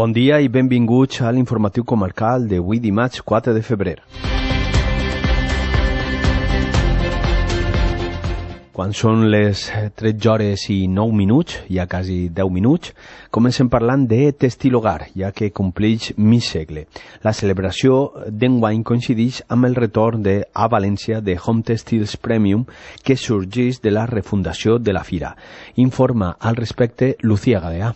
Bon dia i benvinguts a l'informatiu comarcal d'avui dimarts 4 de febrer. Quan són les 13 hores i 9 minuts, ja quasi 10 minuts, comencem parlant de Tèxtil Hogar, ja que compleix mig segle. La celebració d'enguany coincideix amb el retorn a València de Home Textiles Premium, que sorgeix de la refundació de la fira. Informa al respecte Lucía Galeà.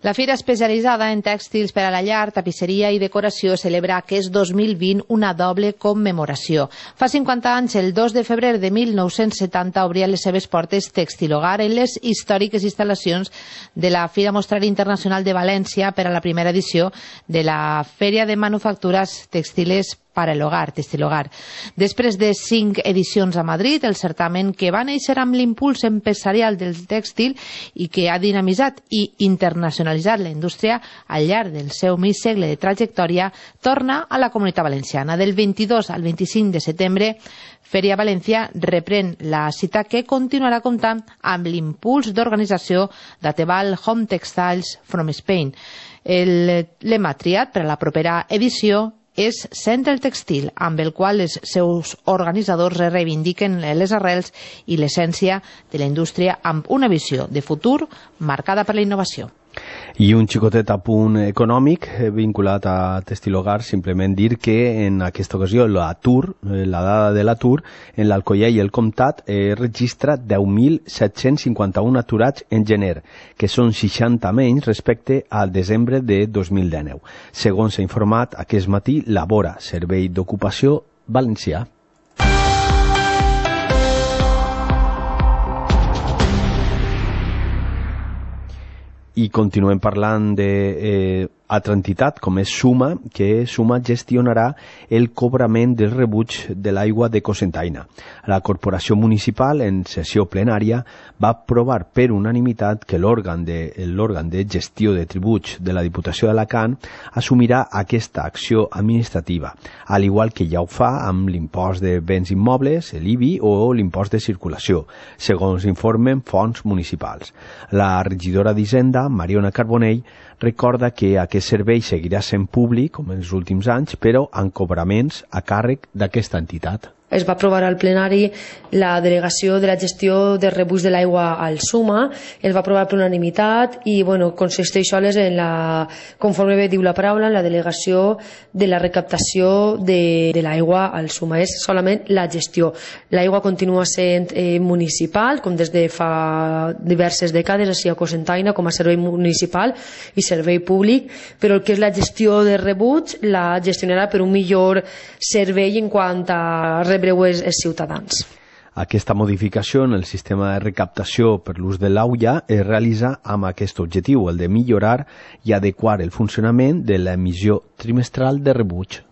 La fira especialitzada en tèxtils per a la llar, tapisseria i decoració celebra aquest 2020 una doble commemoració. Fa 50 anys, el 2 de febrer de 1970, obria les seves portes Tèxtil Hogar en les històriques instal·lacions de la Fira Mostrari Internacional de València per a la primera edició de la Fèria de Manufactures Textiles per a l'Hogar, Tèxtil Hogar. Després de 5 edicions a Madrid, el certamen, que va néixer amb l'impuls empresarial del tèxtil i que ha dinamitzat i internacionalitzat la indústria al llarg del seu mig segle de trajectòria, torna a la Comunitat Valenciana. Del 22 al 25 de setembre, Fèria València reprèn la cita, que continuarà comptant amb l'impuls d'organització d'Ateval Home Textiles from Spain. El lema triat per a la propera edició és Centre el Textil, amb el qual els seus organitzadors reivindiquen les arrels i l'essència de la indústria amb una visió de futur marcada per la innovació. I un xicotet apunt econòmic vinculat a Tèxtil Hogar, simplement dir que en aquesta ocasió la dada de l'atur en l'Alcoià i el Comtat registra 10.751 aturats en gener, que són 60 menys respecte al desembre de 2019. Segons s'ha informat aquest matí Labora, Servei d'Ocupació Valencià. I continuem parlant d'altra entitat, com és Suma, que Suma gestionarà el cobrament del rebuig de l'aigua de Cocentaina. La corporació municipal, en sessió plenària, va aprovar per unanimitat que l'òrgan de gestió de tributs de la Diputació d'Alacant assumirà aquesta acció administrativa, al igual que ja ho fa amb l'impost de béns immobles, l'IBI o l'impost de circulació, segons informen fonts municipals. La regidora d'Hisenda, Mariona Carbonell, recorda que aquest servei seguirà sent públic, com en els últims anys, però amb cobraments a càrrec d'aquesta entitat. Es va aprovar al plenari la delegació de la gestió de rebuig de l'aigua al Suma, es va aprovar per unanimitat i consisteix sols en conforme bé diu la paraula, en la delegació de la recaptació de l'aigua al Suma. És solament la gestió. L'aigua continua sent municipal, com des de fa diverses dècades, així a Cocentaina, com a servei municipal i servei públic, però el que és la gestió de rebuig la gestionarà per un millor servei en quant a rebre els ciutadans. Aquesta modificació en el sistema de recaptació per l'ús de l'aigua es realitza amb aquest objectiu, el de millorar i adequar el funcionament de l'emissió trimestral de rebuig.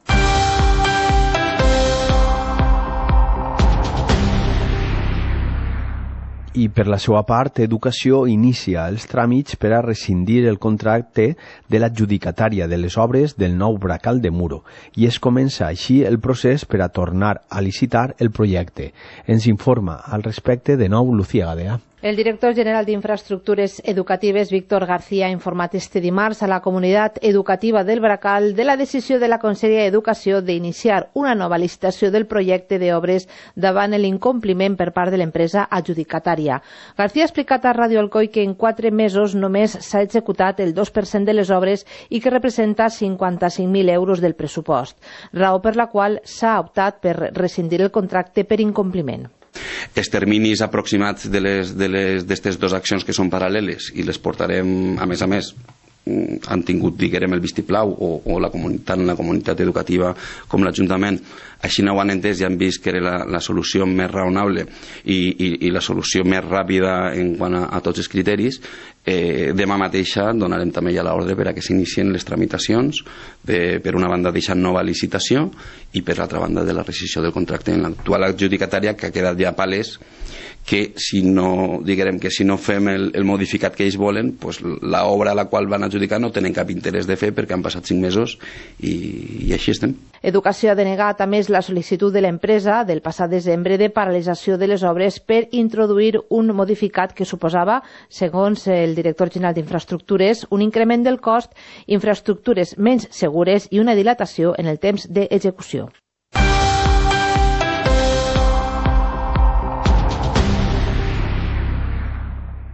I per la seva part, Educació inicia els tràmits per a rescindir el contracte de l'adjudicatària de les obres del nou bracal de Muro i es comença així el procés per a tornar a licitar el projecte. Ens informa al respecte de nou Lucía Galeà. El director general d'Infraestructures Educatives, Víctor García, ha informat este dimarts a la comunitat educativa del Bracal de la decisió de la Conselleria d'Educació d'iniciar una nova licitació del projecte d'obres davant l'incompliment per part de l'empresa adjudicatària. García ha explicat a Ràdio Alcoi que en 4 mesos només s'ha executat el 2% de les obres i que representa 55.000 euros del pressupost, raó per la qual s'ha optat per rescindir el contracte per incompliment. Els terminis aproximats d'aquestes dues accions que són paral·leles i les portarem, a més, han tingut, diguem, el vistiplau o tant la comunitat educativa com l'Ajuntament així no ho han entès i han vist que era la solució més raonable i la solució més ràpida en quant a tots els criteris. Demà mateixa donarem també ja l'ordre per a que s'inicien les tramitacions per una banda deixant nova licitació i per l'altra banda de la rescissió del contracte en l'actual adjudicatària, que ha quedat ja palès que si no, diguem que si no fem el modificat que ells volen, pues l'obra a la qual van adjudicar no tenen cap interès de fer perquè han passat 5 mesos i així estem. Educació ha denegat, a més, la sol·licitud de l'empresa del passat desembre de paralització de les obres per introduir un modificat que suposava, segons el director general d'Infraestructures, un increment del cost, infraestructures menys segures i una dilatació en el temps d'execució.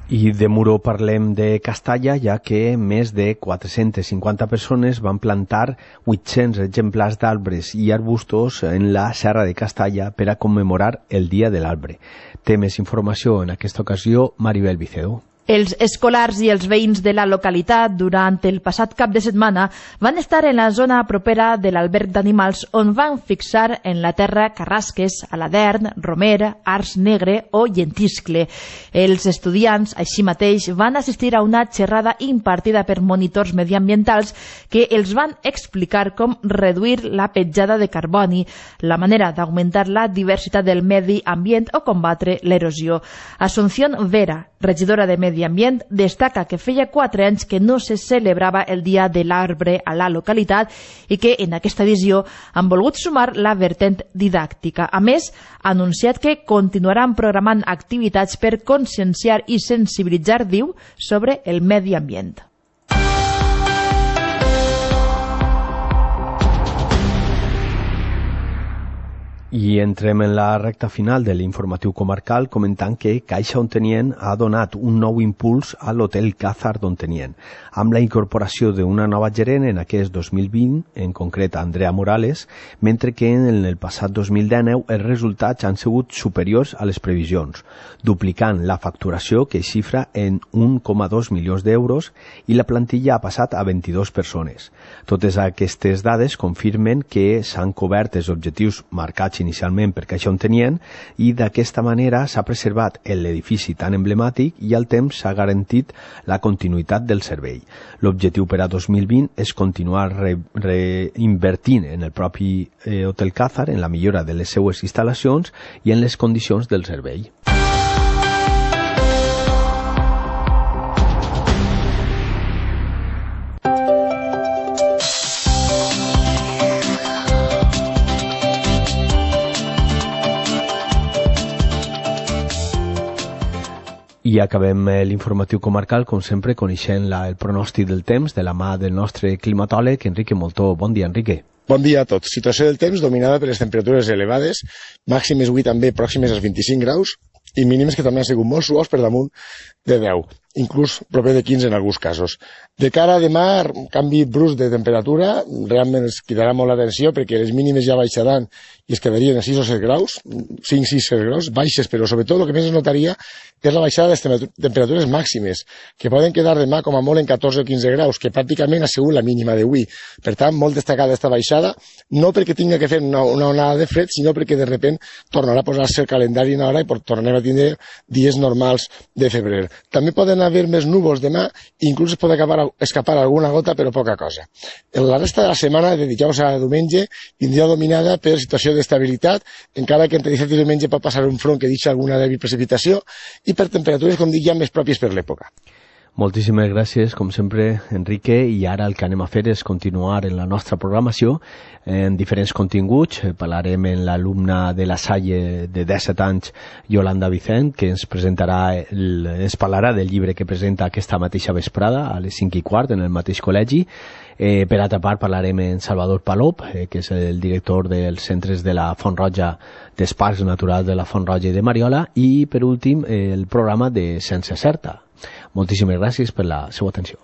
I de Muro parlem de Castalla, ja que més de 450 persones van plantar 800 exemplars d'arbres i arbustos en la Serra de Castalla per a commemorar el Dia de l'Arbre. Té més informació en aquesta ocasió Maribel Vicedo. Els escolars i els veïns de la localitat durant el passat cap de setmana van estar en la zona propera de l'alberg d'animals on van fixar en la terra carrasques, aladern, romer, ars negre o llentiscle. Els estudiants, així mateix, van assistir a una xerrada impartida per monitors mediambientals que els van explicar com reduir la petjada de carboni, la manera d'augmentar la diversitat del medi ambient o combatre l'erosió. Asunción Vera, regidora de Medi Ambient, destaca que feia 4 anys que no se celebrava el Dia de l'Arbre a la localitat i que en aquesta edició han volgut sumar la vertent didàctica. A més, ha anunciat que continuaran programant activitats per conscienciar i sensibilitzar, diu, sobre el medi ambient. I entrem en la recta final de l'informatiu comarcal comentant que Caixa Ontenient ha donat un nou impuls a l'Hotel Càzar d'Ontenient, amb la incorporació d'una nova gerent en aquest 2020, en concret Andrea Morales, mentre que en el passat 2019 els resultats han sigut superiors a les previsions, duplicant la facturació que xifra en 1,2 milions d'euros i la plantilla ha passat a 22 persones. Totes aquestes dades confirmen que s'han cobert els objectius marcats inicialment per Caixa Ontenient i d'aquesta manera s'ha preservat l'edifici tan emblemàtic i al temps s'ha garantit la continuïtat del servei. L'objectiu per a 2020 és continuar reinvertint en el propi Hotel Càzar, en la millora de les seues instal·lacions i en les condicions del servei. I acabem l'informatiu comarcal, com sempre, coneixent el pronòstic del temps de la mà del nostre climatòleg, Enrique Moltó. Bon dia, Enrique. Bon dia a tots. Situació del temps dominada per les temperatures elevades, màximes avui també pròximes als 25 graus i mínimes que també han sigut molt suaus per damunt de 10, inclús proper de 15 en alguns casos. De cara a demà, canvi brusc de temperatura, realment ens cridarà molt l'atenció perquè les mínimes ja baixaran i es quedarien a 6 o 7 graus, 5-6 graus, baixes, però sobretot el que més es notaria és la baixada de les temperatures màximes, que poden quedar demà com a molt en 14 o 15 graus, que pràcticament ha sigut la mínima d'avui. Per tant, molt destacada aquesta baixada, no perquè tinga que fer una onada de fred, sinó perquè de repent tornarà a posar-se el calendari en hora i tornarem a tindre dies normals de febrer. També poden haver més núvols demà, inclús es pot escapar alguna gota, però poca cosa. La resta de la setmana, de dijous a diumenge, vindrà dominada per situació d'estabilitat, encara que entre dissabte i diumenge pot passar un front que deixa alguna dèbil precipitació, i per temperatures, com dic, ja més pròpies per l'època. Moltíssimes gràcies, com sempre, Enrique, i ara el que anem a fer és continuar en la nostra programació en diferents continguts. Parlarem amb l'alumna de la Salle de 17 anys, Yolanda Vicent, que ens parlarà del llibre que presenta aquesta mateixa vesprada a les 5:15 en el mateix col·legi. Per altra part parlarem amb Salvador Palop, que és el director dels centres de la Font Roja, dels Parcs Naturals de la Font Roja i de Mariola, i per últim el programa de Sense Certa. Moltíssimes gràcies per la seva atenció.